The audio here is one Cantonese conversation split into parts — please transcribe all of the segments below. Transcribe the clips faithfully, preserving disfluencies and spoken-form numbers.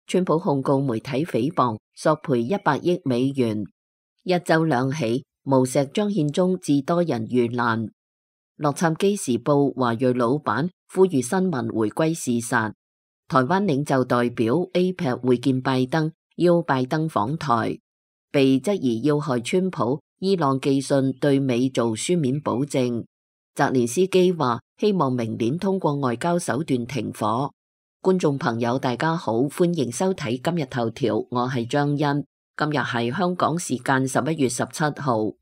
川普控告媒體誹謗，索賠一百億美元。一周兩起，無錫張獻忠致多人遇難。洛杉磯時報華裔老闆呼籲新聞回歸事實。台灣領袖代表 A P E C 會見拜登，邀拜登訪台。被質疑要害川普，伊朗寄信對美做書面保證。澤連斯基話希望明年通過外交手段停火。觀眾朋友大家好，歡迎收睇今日頭條，我係張欣。今日係香港時間十一月十七號。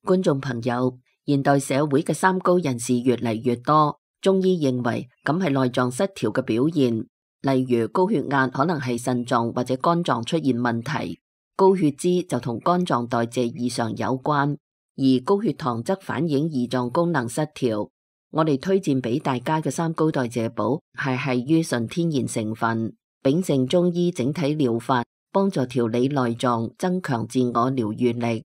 觀眾朋友，現代社會嘅三高人士越嚟越多，中醫認為咁係內臟失調嘅表現，例如高血壓可能係腎臟或者肝臟出現問題，高血脂就同肝臟代謝異常有關，而高血糖則反映胰臟功能失調。我哋推薦俾大家嘅三高代謝寶係係於純天然成分，秉承中醫整體療法，幫助調理內臟，增強自我療愈力。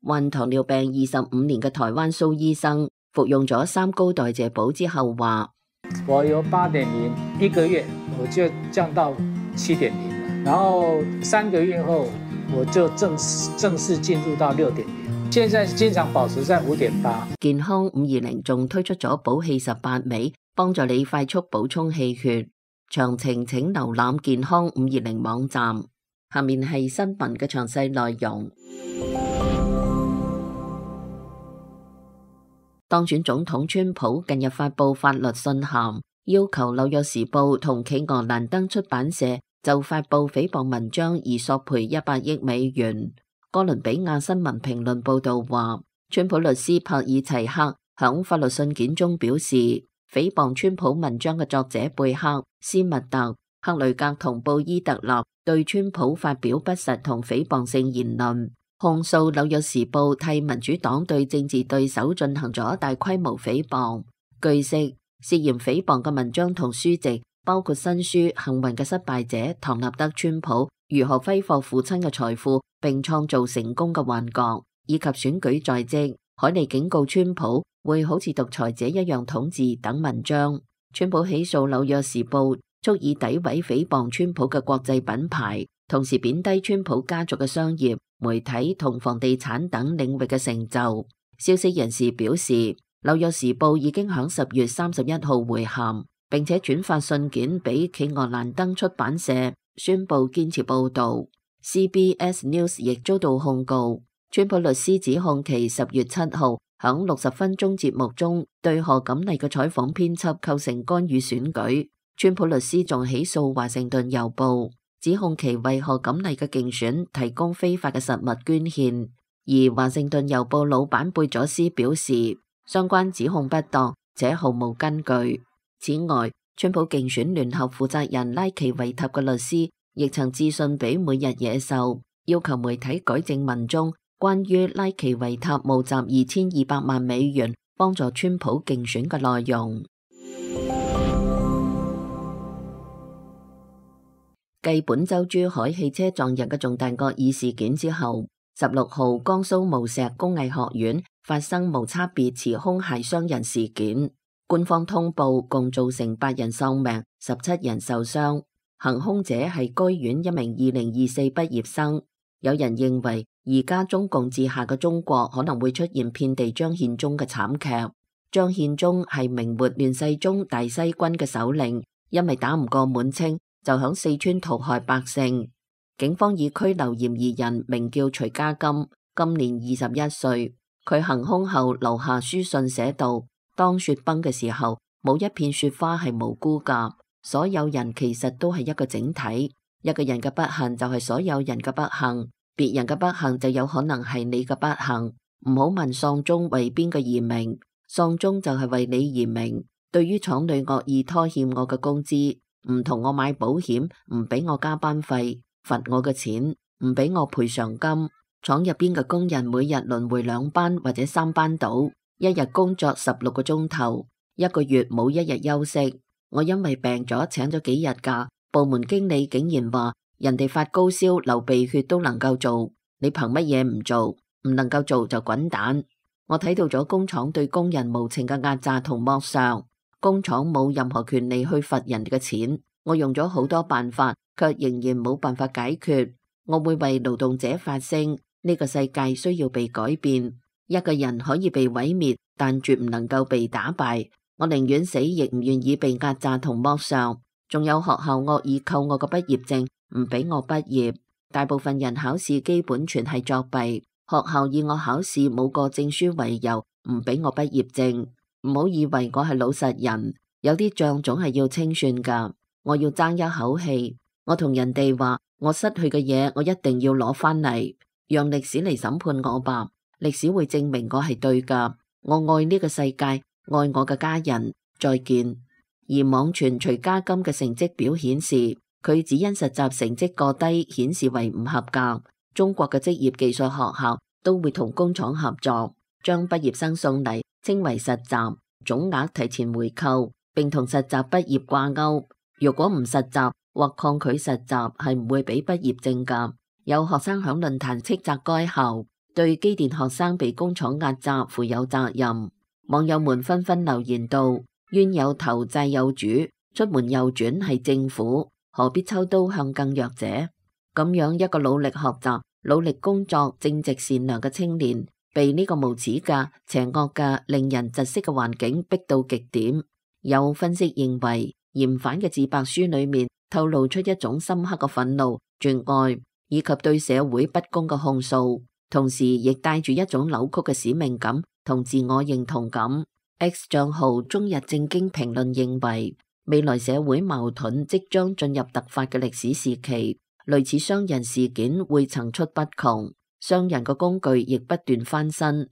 患糖尿病二十五年嘅台灣蘇醫生服用咗三高代謝寶之後話：我由八點零一個月我就降到七點零，然後三個月後我就正式正式進入到六點零。現在經常保持在五點八。健康五二零仲推出咗補氣十八味，幫助你快速補充氣血。詳情請瀏覽健康五二零網站。下面係新聞嘅詳細內容。當選總統川普近日發布法律信函，要求紐約時報同企鵝蘭登出版社就發布誹謗文章而索賠一百億美元。哥倫比亞新聞評論報道話，川普律師帕爾齊克響法律信件中表示，誹謗川普文章嘅作者貝克、斯密特、克雷格同布伊特納對川普發表不實同誹謗性言論，控訴紐約時報替民主黨對政治對手進行咗大規模誹謗。據悉，涉嫌誹謗嘅文章同書籍包括新書《幸運嘅失敗者》唐納德·川普如何揮霍父親嘅財富並創造成功嘅幻覺，以及選舉在即，海利警告川普會好似獨裁者一樣統治等文章。川普起訴紐約時報，蓄意詆毀誹謗川普嘅國際品牌，同時貶低川普家族嘅商業、媒體同房地產等領域嘅成就。消息人士表示，紐約時報已經響十月三十一號回函，並且轉發信件俾企鵝蘭登出版社，宣布堅持報道。C B S News 亦遭到控告，川普律師指控其十月七號響六十分鐘節目中對賀錦麗嘅採訪編輯構成干預選舉。川普律師仲起訴華盛頓郵報，指控其為賀錦麗嘅競選提供非法嘅實物捐獻。而華盛頓郵報老闆貝佐斯表示，相關指控不當且毫無根據。此外，川普競選聯合負責人拉奇維塔嘅律師亦曾致信俾每日野獸，要求媒體改正文中關於拉奇維塔募集二千二百萬美元幫助川普競選嘅內容。繼本周珠海汽車撞人嘅重大惡意事件之後，十六號江蘇無錫工藝學院發生無差別持兇械傷人事件，官方通報共造成八人喪命，十七人受傷。行兇者係該院一名二零二四畢業生。有人認為，而家中共治下嘅中國可能會出現遍地張獻忠嘅慘劇。張獻忠係明末亂世宗大西軍嘅首領，因為打唔過滿清，就響四川屠害百姓。警方已拘留嫌疑人，名叫徐家金，今年二十一歲。佢行兇後留下書信寫道：當雪崩嘅時候，冇一片雪花係無辜噶。所有人其實都係一個整體，一個人嘅不幸就係所有人嘅不幸，別人嘅不幸就有可能係你嘅不幸。唔好問喪鐘為邊個而鳴，喪鐘就係為你而鳴。對於廠裏惡意拖欠我嘅工資，唔同我買保險，唔俾我加班費，罰我嘅錢，唔俾我賠償金。廠入邊嘅工人每日輪迴兩班或者三班倒，一日工作十六個鐘頭，一個月冇一日休息。我因為病咗請咗幾日假，部門經理竟然話人哋發高燒流鼻血都能夠做，你憑乜嘢唔做？唔能夠做就滾蛋！我睇到咗工廠對工人無情嘅壓榨同剝削，工廠冇任何權利去罰人哋嘅錢。我用咗好多辦法，卻仍然冇辦法解決。我會為勞動者發聲，呢個世界需要被改變。一個人可以被毀滅，但絕唔能夠被打敗。我寧願死，亦唔願意被壓榨同剝削。仲有學校惡意扣我個畢業證，唔俾我畢業。大部分人考試基本全係作弊，學校以我考試冇過證書為由，唔俾我畢業證。唔好以為我係老實人，有啲賬總係要清算噶。我要爭一口氣，我同人哋話，我失去嘅嘢，我一定要攞返嚟，讓歷史嚟審判我吧。歷史會證明我係對噶。我愛呢個世界，愛我嘅家人。再見。而網傳徐家金嘅成績表顯示，佢只因實習成績過低，顯示為唔合格。中國嘅職業技術學校都會同工廠合作，將畢業生送嚟，稱為實習，總額提前回扣，並同實習畢業掛鈎。如果唔實習或抗拒實習，係唔會俾畢業證噶。有學生響論壇斥責該校對機電學生被工廠壓榨負有責任。網友們紛紛留言道：冤有頭債有主，出門右轉係政府，何必抽刀向更弱者？咁樣一個努力學習、努力工作、正直善良嘅青年，被呢個無恥嘅、邪惡嘅、令人窒息嘅環境逼到極點。有分析認為，嫌犯嘅自白書裏面透露出一種深刻嘅憤怒、絕愛以及對社會不公嘅控訴，同時亦帶住一種扭曲嘅使命感同自我認同感。X 賬號中日正經評論認為，未來社會矛盾即將進入突發嘅歷史時期，類似商人事件會層出不窮，商人嘅工具亦不斷翻新。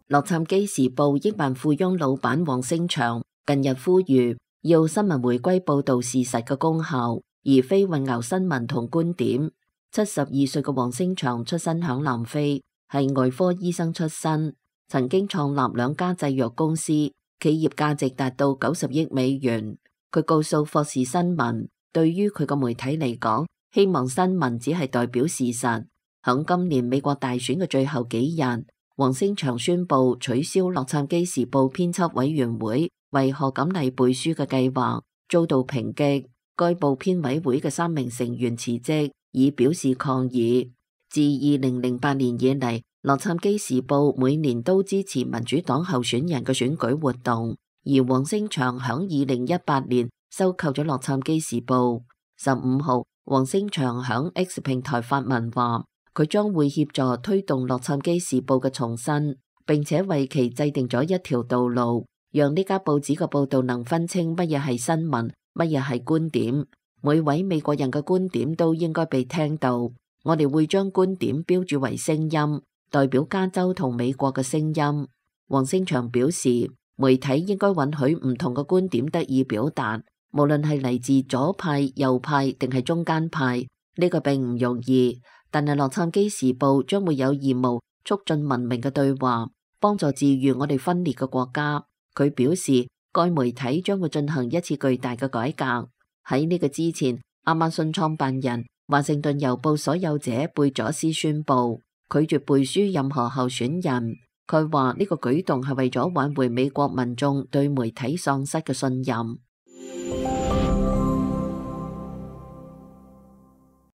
洛杉磯時報億萬富翁老闆黃星翔近日呼籲，要新聞回歸報道事實嘅功效，而非混淆新聞同觀點。七十二歲嘅黃星翔出身響南非，係外科醫生出身，曾經創立兩家製藥公司，企業價值達到九十億美元。佢告訴霍士新聞，對於佢個媒體嚟講，希望新聞只係代表事實。響今年美國大選嘅最後幾日，黃星翔宣布取消洛杉磯時報編輯委員會為賀錦麗背書嘅計劃，遭到抨擊。該部編委會嘅三名成員辭職，以表示抗議。自二零零八年以嚟，洛杉磯時報每年都支持民主黨候選人嘅選舉活動，而黃星翔響二零一八年收購咗洛杉磯時報。十五號，黃星翔響 X 平台發文話，佢將會協助推動洛杉磯時報嘅重新，並且為其制定咗一條道路，讓呢家報紙嘅報道能分清乜嘢係新聞，乜嘢係觀點。每位美國人嘅觀點都應該被聽到。我哋會將觀點標注為聲音，代表加州同美國嘅聲音。黃星翔表示，媒體應該允許唔同嘅觀點得以表達，無論係嚟自左派、右派定係中間派。呢個並唔容易，但係洛杉磯時報將會有義務促進文明嘅對話，幫助治癒我哋分裂嘅國家。佢表示，該媒體將會進行一次巨大嘅改革。喺呢個之前，亞馬遜創辦人、華盛頓郵報所有者貝佐斯宣布拒絕背書任何候選人。佢話呢個舉動係為咗挽回美國民眾對媒體喪失嘅信任。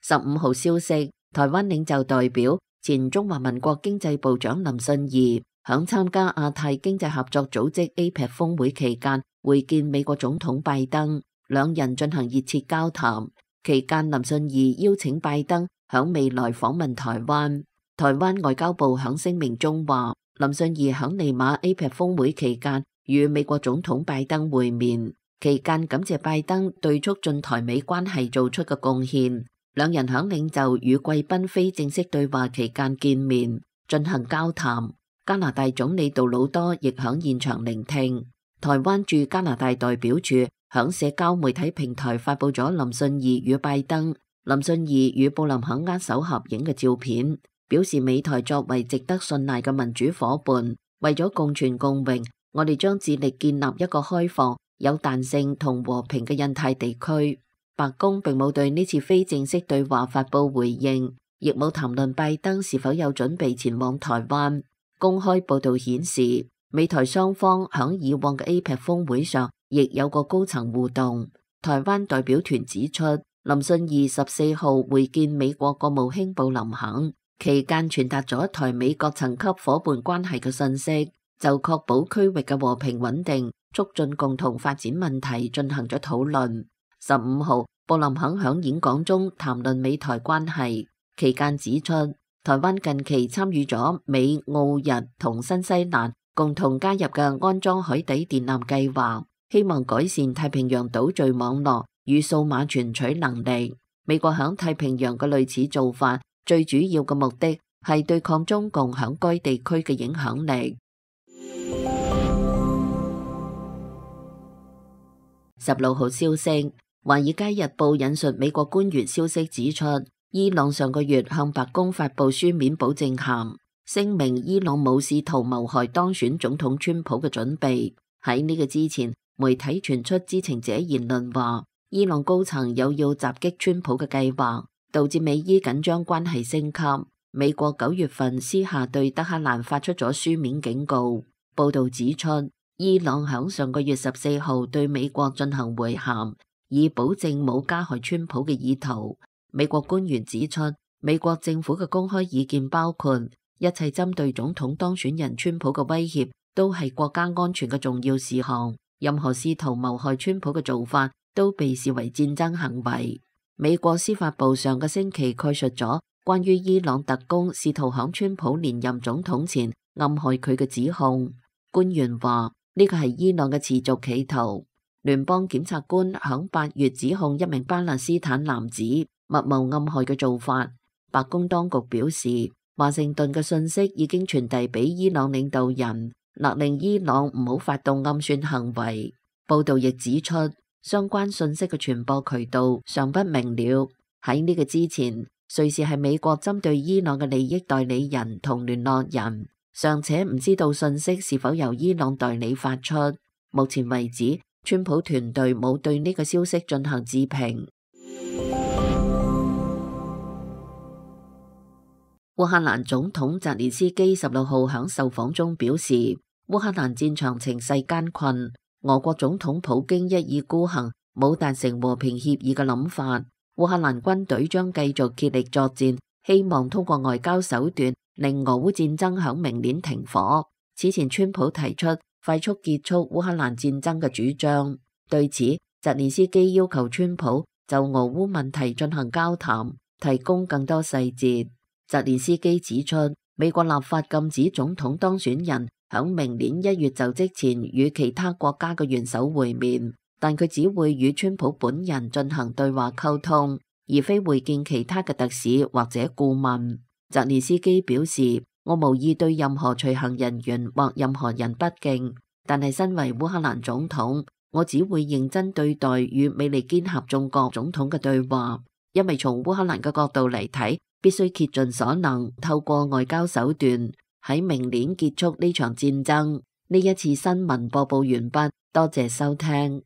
十五號消息，台灣領袖代表前中華民國經濟部長林信義響參加亞太經濟合作組織 A P E C 峰會期間會見美國總統拜登，兩人進行熱切交談。期間，林信義邀請拜登響未來訪問台灣。台灣外交部響聲明中話，林信義響利馬 A P E C 峰會期間與美國總統拜登會面，期間感謝拜登對促進台美關係做出嘅貢獻。兩人響領袖與貴賓非正式對話期間見面，進行交談。加拿大總理杜魯多亦響現場聆聽。台灣駐加拿大代表處響社交媒體平台發佈咗林信義與拜登、林信義與布林肯握手合影嘅照片，表示美台作為值得信賴嘅民主夥伴，為咗共存共榮，我哋將致力建立一個開放、有彈性同和平嘅印太地區。白宮並冇對呢次非正式對話發佈回應，亦冇談論拜登是否有準備前往台灣。公開報道顯示，美台雙方響以往嘅 A P E C 峰會上亦有個高層互動。台灣代表團指出，林信二十四號會見美國國務卿布林肯，期間傳達咗台美各層級夥伴關係嘅信息，就確保區域嘅和平穩定、促進共同發展問題進行咗討論。十五號，布林肯響演講中談論美台關係，期間指出，台灣近期參與咗美、澳、日同新西蘭共同加入嘅安裝海底電纜計劃，希望改善太平洋島嶼網絡與數碼傳取能力。美國響太平洋嘅類似做法，最主要嘅目的係對抗中共響該地區嘅影響力。十六號消息，《華爾街日報》引述美國官員消息指出，伊朗上個月向白宮發布書面保證函，聲明伊朗冇試圖謀害當選總統川普嘅準備。喺呢個之前，媒體傳出知情者言論話，伊朗高層有要襲擊川普嘅計劃，導致美伊緊張關係升級。美國九月份私下對德黑蘭發出咗書面警告。報道指出，伊朗響上個月十四號對美國進行會談，以保證冇加害川普嘅意圖。美國官員指出，美國政府嘅公開意見包括一切針對總統當選人川普嘅威脅都係國家安全嘅重要事項，任何試圖謀害川普嘅做法都被視為戰爭行為。美國司法部上個星期概述咗關於伊朗特工試圖響川普連任總統前暗害佢嘅指控。官員話呢個係伊朗嘅持續企圖。聯邦檢察官響八月指控一名巴勒斯坦男子密謀暗害嘅做法。白宮當局表示，華盛頓嘅信息已經傳遞俾伊朗領導人，勒令伊朗唔好發動暗算行為。報道亦指出，相關信息嘅傳播渠道尚不明了。喺呢個之前，瑞士係美國針對伊朗嘅利益代理人同聯絡人，尚且唔知道信息是否由伊朗代理發出。目前為止，川普團隊冇對呢個消息進行置評。烏克蘭總統澤連斯基十六號響受訪中表示，烏克蘭戰場情勢艱困，俄國總統普京一意孤行，冇達成和平協議嘅諗法。烏克蘭軍隊將繼續竭力作戰，希望通過外交手段令俄烏戰爭響明年停火。此前川普提出快速結束烏克蘭戰爭嘅主張，對此澤連斯基要求川普就俄烏問題進行交談，提供更多細節。澤連斯基指出，美國立法禁止總統當選人響明年一月就職前與其他國家嘅元首會面，但佢只會與川普本人進行對話溝通，而非會見其他嘅特使或者顧問。澤連斯基表示，我無意對任何隨行人員或任何人不敬，但係身為烏克蘭總統，我只會認真對待與美利堅合眾國總統嘅對話，因為從烏克蘭嘅角度嚟睇，必須竭盡所能透過外交手段喺明年結束呢場戰爭。呢一次新聞播報完畢，多謝收聽。